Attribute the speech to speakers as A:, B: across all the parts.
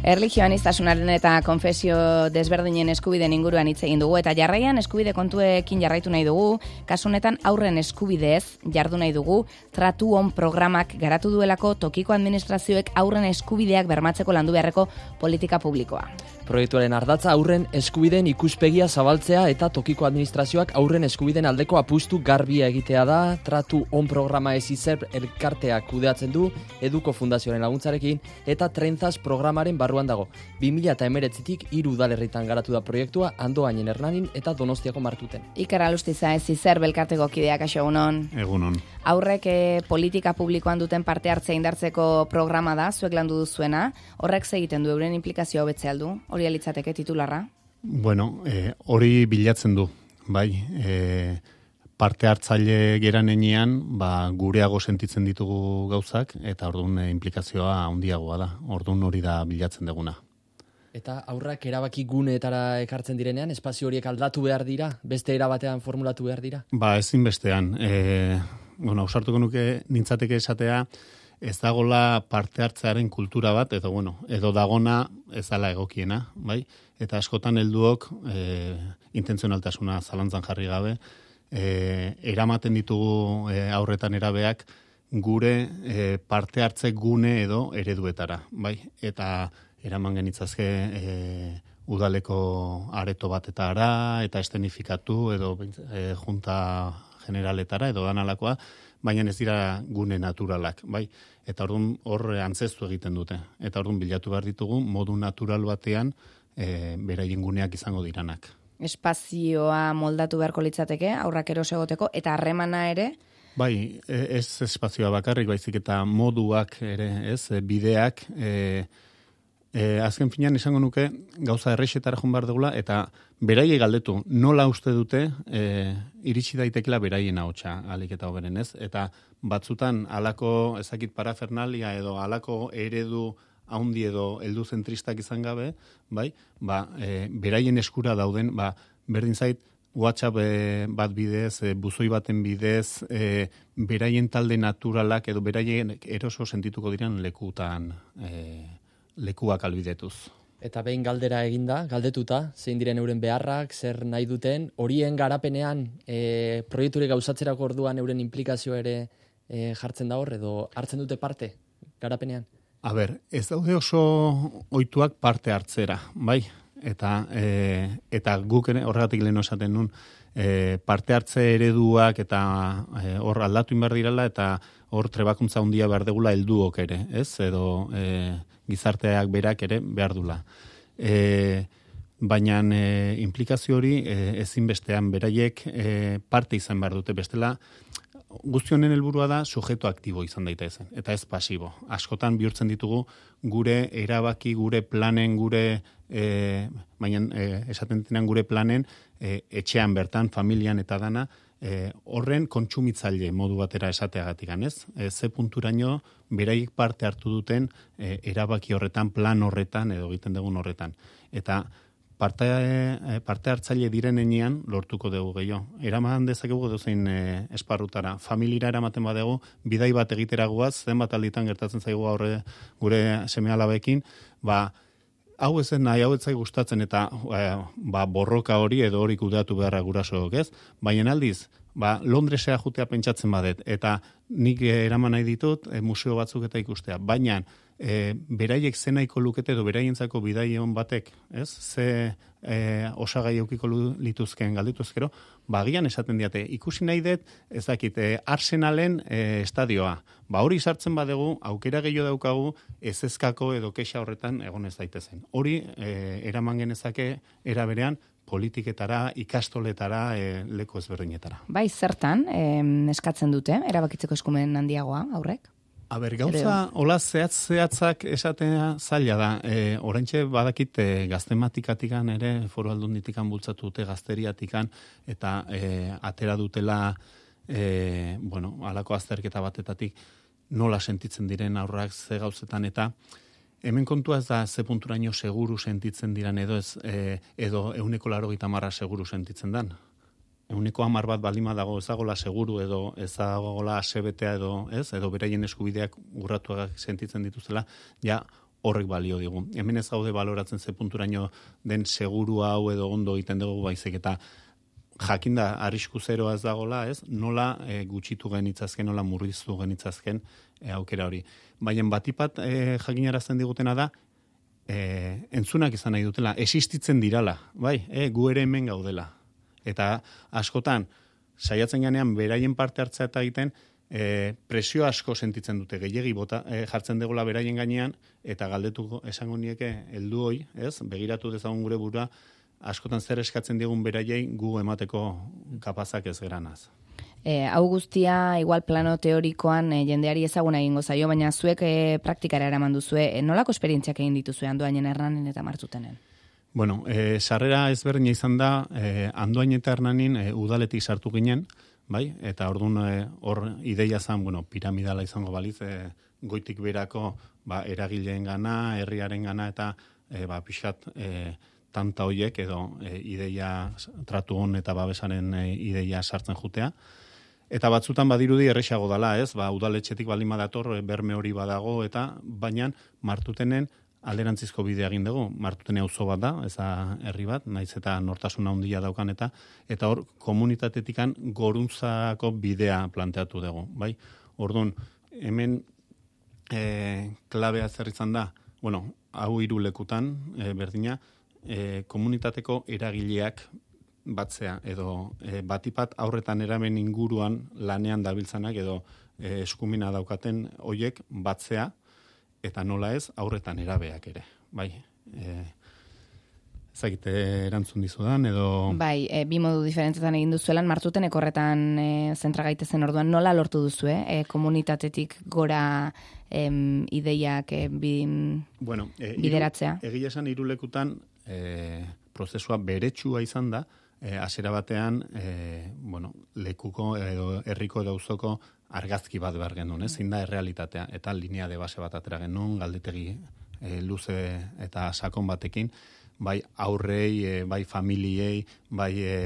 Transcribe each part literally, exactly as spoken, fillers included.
A: Erlijioanistasunaren eta konfesio desberdinen eskubideen inguruan hitz egin dugu eta jarraian eskubide kontuekin jarraitu nahi dugu, kasu honetan aurren eskubideez jardu nahi dugu, tratu on programak garatu duelako tokiko administrazioek aurren eskubideak bermatzeko landu beharreko politika publikoa.
B: Proiektuaren ardatza aurren eskubideen ikuspegia zabaltzea eta tokiko administrazioak aurren eskubideen aldeko apustu garbia egitea da. Tratu on programa ez izer elkarteak kudeatzen du, Eduko Fundazioaren laguntzarekin eta Trentzas programaren barruan dago. bi mila hemeretzitik hiru udalerritan garatu da proiektua, Andoainen, Hernanin eta Donostiako Martuten.
A: Iker Alustiza ez izer belkarteko kideak, aixo egunon.
C: Egunon.
A: Aurrek eh, politika publikoan duten parte hartzea indartzeko programa da, zuek landu duzuena. Horrek segiten du euren implikazioa hobetzea aldu? Hori alitzateke titularra?
C: Bueno, eh, hori bilatzen du, bai. Eh, parte hartzaile geran enean, ba, gureago sentitzen ditugu gauzak, eta orduan eh, implikazioa handiagoa da. Orduan hori da bilatzen duguna.
B: Eta aurrak erabaki guneetara ekartzen direnean, espazio horiek aldatu behar dira? Beste erabatean formulatu behar dira?
C: Ba, ezin bestean. Eh, bueno, ausartuko nuke nintzateke esatea, ez dagola parte hartzearen kultura bat, edo, bueno, edo dagona ez dala egokiena, bai? Eta askotan helduok e, intentzionaltasuna zalantzan jarri gabe, e, eramaten ditugu e, aurretan erabeak gure e, parte hartze gune edo ereduetara, bai? Eta eraman genitzazke e, udaleko areto batetara, eta estenifikatu, edo e, junta generaletara, edo danalakoa, baina ez dira gune naturalak, bai? Eta orduan hor antzestu egiten dute. Eta orduan bilatu behar ditugu modu natural batean e, beraien guneak izango diranak.
A: Espazioa moldatu beharko litzateke, aurrak eros egoteko, eta harremana ere?
C: Bai, ez espazioa bakarrik, baizik eta moduak ere, ez, bideak, e, e, azken finean izango nuke gauza errexetara joan behar dugula, eta beraiei galdetu, nola uste dute e, iritsi daitekela beraien ahotsa alik eta hoberen, ez? Eta batzutan halako ezakit parafernalia edo halako eredu haundi edo heldu zentristak izan gabe, bai? Ba, e, beraien eskura dauden, ba, berdin zait WhatsApp e, bat bidez, e, buzoi baten bidez, e, beraien talde naturalak edo beraien eroso sentituko diren lekutan e, lekuak albidetuz.
B: Eta behin galdera eginda, galdetuta, zein diren euren beharrak, zer nahi duten, horien garapenean, e, proiekture gauzatzerako orduan euren implikazio ere e, jartzen da hor, edo hartzen dute parte garapenean?
C: A ber, ez daude oso ohituak parte hartzera, bai? Eta, e, eta guk ere horregatik lehen esaten nun, e, parte hartze ereduak eta e, hor aldatu inbar dirala, eta hor trebakuntza handia behar degula helduok ere, ez? Edo e, gizarteak berak ere behar dula. E, baina e, implikazio hori e, ezinbestean beraiek e, parte izan behar dute, bestela guzti honen helburua da sujeto aktibo izan daitezen, eta ez pasibo. Askotan bihurtzen ditugu gure erabaki, gure planen, gure e, baina e, esaten denean gure planen e, etxean bertan, familian eta dana, E, horren kontsumitzaile modu batera esateagatik, ez? E, ze punturaino beraiek parte hartu duten e, erabaki horretan, plan horretan edo egiten dugun horretan. Eta parte, e, parte hartzaile direnean lortuko dugu gehiago. Eraman dezakegu dozein e, esparrutara. Familira eramaten badegu, bidai bat egitera guaz, zenbat alditan gertatzen zaigu aurre gure seme-alabekin, ba, hau ez nahi, hau ez zai gustatzen eta e, ba, borroka hori edo hori kudeatu beharra gurasook, ez? Baina aldiz, ba, Londresea jutea pentsatzen badet, eta nik eraman nahi ditut e, museo batzuk eta ikustea. Baina e, beraiek zenaiko lukete edo beraientzako bidaion batek, ez? Ze e, osagai eukiko lituzken galdituzkero, bagian esaten diate, ikusi nahi dut, ez dakit, e, Arsenalen e, estadioa. Ba hori sartzen badegu, aukera gehiago daukagu, ez ezkako edo kexa horretan egon ez daitezen. Hori e, eraman genezake era berean politiketara, ikastoletara, e, leku ezberdinetara.
A: Bai, zertan eh, eskatzen dute, erabakitzeko eskumen handiagoa aurrek?
C: A ber, gauza, hola zehatz zehatzak esatea zaila da. E, oraintxe badakit e, gaztematikatikan ere, foru aldunditikan bultzatu dute gazteriatikan, eta e, atera dutela, e, bueno, halako azterketa batetatik, nola sentitzen diren aurrak ze gauzetan, eta hemen kontua ez da ze punturaino seguru sentitzen diran edo ez, e, edo euneko laurogeita hamar seguru sentitzen dan. Euneko hamar bat balima dago ezagola seguru edo ezagola asebetea edo ez, edo beraien eskubideak urratuak sentitzen dituzela, ja horrek balio digu. Hemen ez gaude baloratzen ze punturaino den seguru hau edo ondo egiten dugu baizik eta jakinda arrisku zeroa ez dagola, ez? Nola e, gutxitu genitzazken, nola murriztu genitzazken e, aukera hori. Baina batipat e, jakinarazten digutena da, e, entzunak izan nahi dutela, existitzen dirala, bai, e, gu ere hemen gaudela. Eta askotan, saiatzen ganean, beraien parte hartzea eta egiten, e, presio asko sentitzen dute, gehiegi bota, e, jartzen degula beraien gainean, eta galdetuko esango nieke heldu hoi, ez? Begiratu dezagun gure burua, askotan zer eskatzen digun beraiei gu emateko kapazak ez geranaz.
A: E, hau guztia, igual plano teorikoan e, jendeari ezaguna egingo zaio, baina zuek e, praktikara eraman duzue, e, nolako esperientziak egin dituzue Andoainen, Hernanin eta Martutenen?
C: Bueno, e, sarrera ezberdina izan da, e, Andoain eta Hernanin e, udaletik sartu ginen, bai? Eta orduan e, hor ideia zen, bueno, piramidala izango baliz, e, goitik berako ba, eragileen gana, herriaren gana, eta e, ba, pixat e, tanta hoiek edo e, ideia tratu hon eta babesaren e, ideia sartzen jutea. Eta batzutan badirudi erresago dala, ez? Ba, udaletxetik baldin badator, berme hori badago, eta baina Martutenen alderantzizko bidea egin dugu. Martutene auzo bat da, ez da herri bat, naiz eta nortasuna handia daukan eta eta hor komunitatetikan goruntzako bidea planteatu dugu, bai? Orduan, hemen e, klabea zer izan da, bueno, hau hiru lekutan e, berdina, e, komunitateko eragileak batzea, edo e, batipat aurretan eramen inguruan lanean dabiltzanak edo e, eskumina daukaten hoiek batzea, eta nola ez aurretan erabeak ere, bai. E, ezagite erantzun dizudan, edo...
A: Bai, e, bi modu diferentzetan egin duzuelan, Martuten ekorretan e, zentra gaitezen orduan, nola lortu duzue, e, komunitatetik gora em, ideiak e, bi,
C: bueno, e,
A: bideratzea?
C: Iru, egia esan hirulekutan e, prozesua beretsua izan da, E, hasiera batean, e, bueno, lekuko edo herriko edo auzoko argazki bat behar genuen, ez? Zein da errealitatea, eta linea de base bat atera genuen, galdetegi e, luze eta sakon batekin, bai aurrei, e, bai familiei, bai e,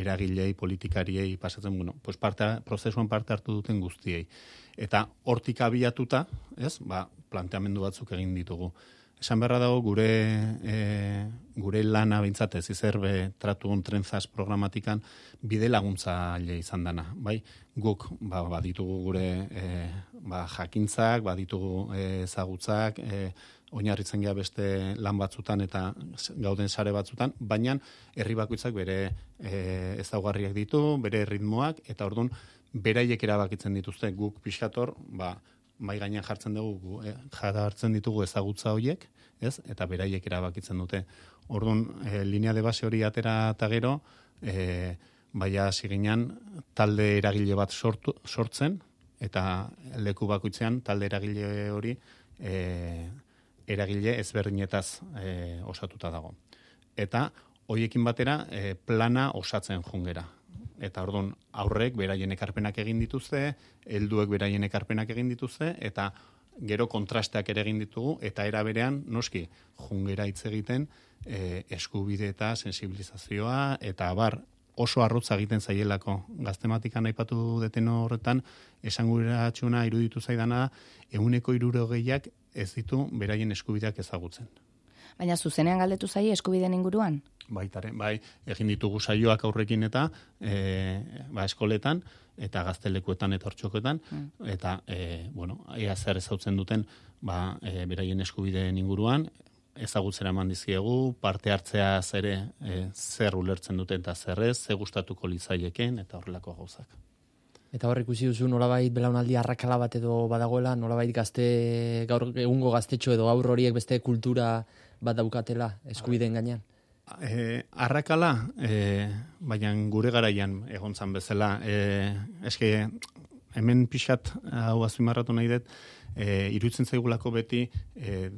C: eragilei, politikariei pasatzen, bueno, pues parte, prozesuan parte hartu duten guztiei. Eta hortik abiatuta, ez? Ba, planteamendu batzuk egin ditugu. Esan beharra dago gure e, gure lana bintzat ez izerbe tratugun trenzaz programatikan bide laguntzaile izan dana, bai? Guk ba, baditugu gure e, ba, jakintzak, baditugu ezagutzak, e, oinarritzen gea beste lan batzutan eta gauden sare batzutan, baina herri bakoitzak bere e, ezaugarriak ditu, bere ritmoak, eta orduan beraiek erabakitzen dituzte guk pixkator, ba, mai gainean jartzen dugu, eh, jartzen ditugu ezagutza horiek, ez? Eta beraiek erabakitzen dute. Orduan, e, linea de base hori atera eta gero, e, baia ziginan talde eragile bat sortu, sortzen, eta leku bakoitzean talde eragile hori e, eragile ezberdinetaz e, osatuta dago. Eta horiekin batera e, plana osatzen jungera. Eta orduan aurrek beraien ekarpenak egin dituzte, helduek beraien ekarpenak egin dituzte, eta gero kontrasteak ere egin ditugu, eta era berean, noski, jungera hitz egiten, e, eskubide eta sensibilizazioa, eta abar oso arrotza egiten zaielako gaztematikan aipatu deten horretan, esanguratxuna iruditu zaidana, ehuneko hirurogeiak ez ditu beraien eskubideak ezagutzen.
A: Baina zuzenean galdetu zaie eskubideen inguruan?
C: Baitare, bai, egin ditugu saioak aurrekin eta e, ba, eskoletan, eta gaztelekuetan eta hortxoketan, mm. eta, e, bueno, ea zer ezautzen duten, ba, e, beraien eskubideen inguruan, ezagutzera eman dizkiegu, parte hartzea zere e, zer ulertzen duten eta zerrez, ze gustatuko litzaieken, eta horrelako gauzak.
B: Eta hor ikusi duzu nolabait belaunaldi arrakala bat edo badagoela, nolabait gazte, gaur egungo gaztetxo edo gaur horiek beste kultura bat daukatela eskubideen gainean?
C: E, arrakala, e, baina gure garaian egon zan bezala, e, eske hemen pixat hau azpimarratu nahi dut, e, iruditzen zaigulako beti e,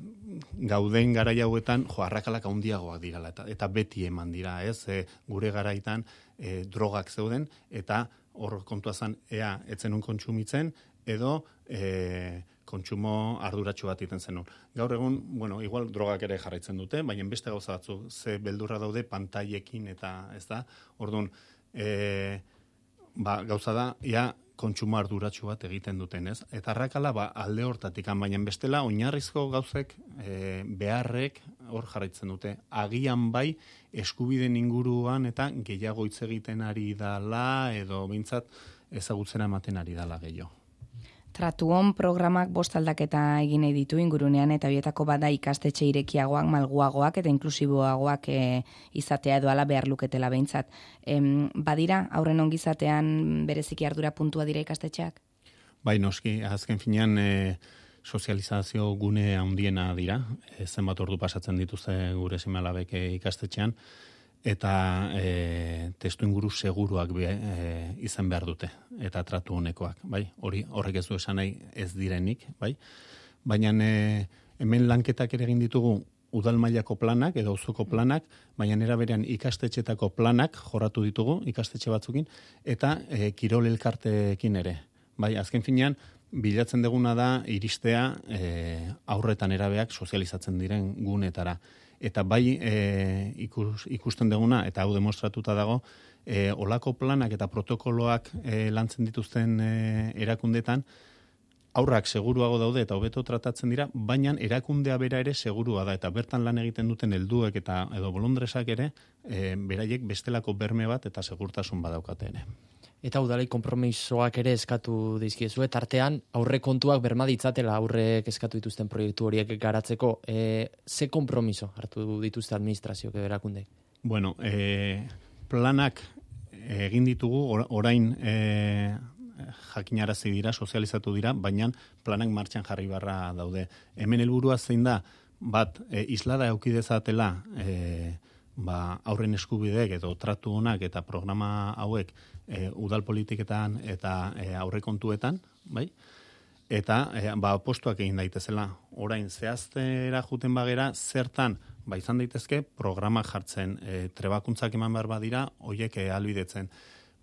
C: gauden garai hauetan jo arrakalak handiagoak dirala eta, eta beti eman dira, ez? E, gure garaitan e, drogak zeuden eta hor kontua zen ea etzenun kontsumitzen edo e, kontsumo arduratsu bat egiten zenun. Gaur egun, bueno, igual drogak ere jarraitzen dute, baina beste gauza batzu ze beldurra daude pantailekin eta ez da. Orduan, e, ba, gauza da, ja, kontsumo arduratsu bat egiten duten, ez? Eta arrakala ba, alde hortatik, baina bestela oinarrizko gauzek e, beharrek hor jarraitzen dute. Agian bai eskubideen inguruan eta gehiago hitz egiten ari dala edo behintzat ezagutzera ematen ari dala gehiago.
A: Tratuon programak bost aldaketa egin nahi ditu ingurunean eta horietako bada ikastetxe irekiagoak, malguagoak eta inklusiboagoak e, izatea edo ala behar luketela behintzat. Em, badira, aurren ongizatean bereziki ardura puntua dira ikastetxeak?
C: Bai, noski, azken finean e, sozializazio gune handiena dira, e, zenbat ordu pasatzen dituzte gure seme-alabek ikastetxean, eta e, testu inguru seguruak be, e, izan behar dute, eta tratu honekoak, bai? Hori horrek ez du esan nahi ez direnik, bai? Baina e, hemen lanketak ere egin ditugu udal mailako planak edo auzoko planak, baina era berean ikastetxetako planak jorratu ditugu ikastetxe batzukin, eta e, kirol elkarteekin ere. Bai, azken finean, bilatzen deguna da iristea e, aurretan erabeak sozializatzen diren gunetara. Eta bai e, ikus, ikusten deguna, eta hau demostratuta dago, e, olako planak eta protokoloak e, lantzen dituzten e, erakundetan, aurrak seguruago daude eta hobeto tratatzen dira, baina erakundea bera ere segurua da, eta bertan lan egiten duten helduek eta edo bolondresak ere, e, beraiek bestelako berme bat eta segurtasun badaukate ere.
B: Eta udalei konpromisoak ere eskatu dizkiezu, tartean aurre kontuak berma ditzatela aurrek eskatu dituzten proiektu horiek garatzeko. E, ze konpromiso hartu dituzte administrazioak edo erakundeek?
C: Bueno, e, planak egin ditugu, orain e, jakinarazi dira, sozializatu dira, baina planak martxan jarri barra daude. Hemen helburua zein da, bat, e, islada eukidezatela e, ba, aurren eskubideek edo tratu honak eta programa hauek e, udal politiketan eta e, aurrekontuetan, bai? Eta e, ba, postuak egin daitezela. Orain zehaztera juten bagera, zertan ba, izan daitezke programak jartzen, e, trebakuntzak eman behar badira, hoiek e, albidetzen.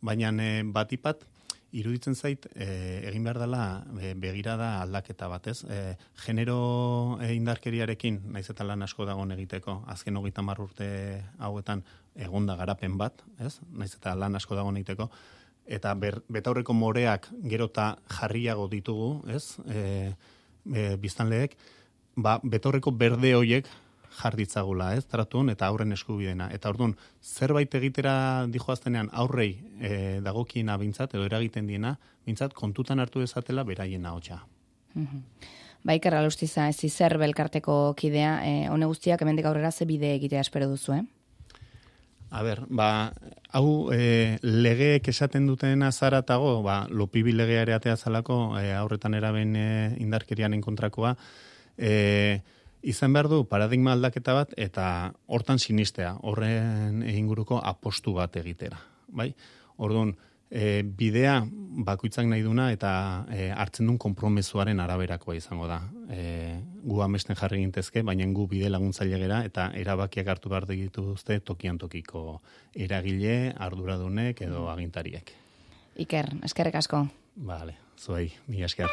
C: Baina e, batipat, iruditzen zait, e, egin behar dela e, begirada aldaketa bat, ez? E, genero e, indarkeriarekin, naiz eta lan asko dagoen egiteko, azken hogeita hamar urte hauetan egonda garapen bat, ez? Naiz eta lan asko dagoen egiteko, eta ber, betaurreko moreak gerota jarriago ditugu, ez? E, e, biztanleek, ba, betaurreko berde hoiek jarditzagula, ez, tratun eta aurren eskubidena. Eta orduan, zerbait egitera dijoaztenean aurrei e, dagokiena bintzat, edo eragiten diena, bintzat kontutan hartu dezatela beraien ahotsa.
A: Mm-hmm. Ba, Iker Alustiza, ez izer belkarteko kidea, e, hone guztiak hemendik aurrera ze bide egitea espero duzu, eh?
C: A ber, ba, hau e, legeek esaten dutena zaratago, ba, lopibi legea ere atea zalako, e, aurretan eraben e, indarkerianen kontrakoa, e, izan behar du paradigma aldaketa bat eta hortan sinistea, horren inguruko apostu bat egitera. Bai? Orduan, e, bidea bakoitzak nahi duna eta e, hartzen duen konpromezuaren araberakoa izango da. E, gu amesten jarri gintezke, baina gu bide laguntzaile gera eta erabakiak hartu behar dituzte tokian tokiko eragile, arduradunek edo agintariek.
A: Iker, eskerrik asko.
C: Vale, zuei, mila esker.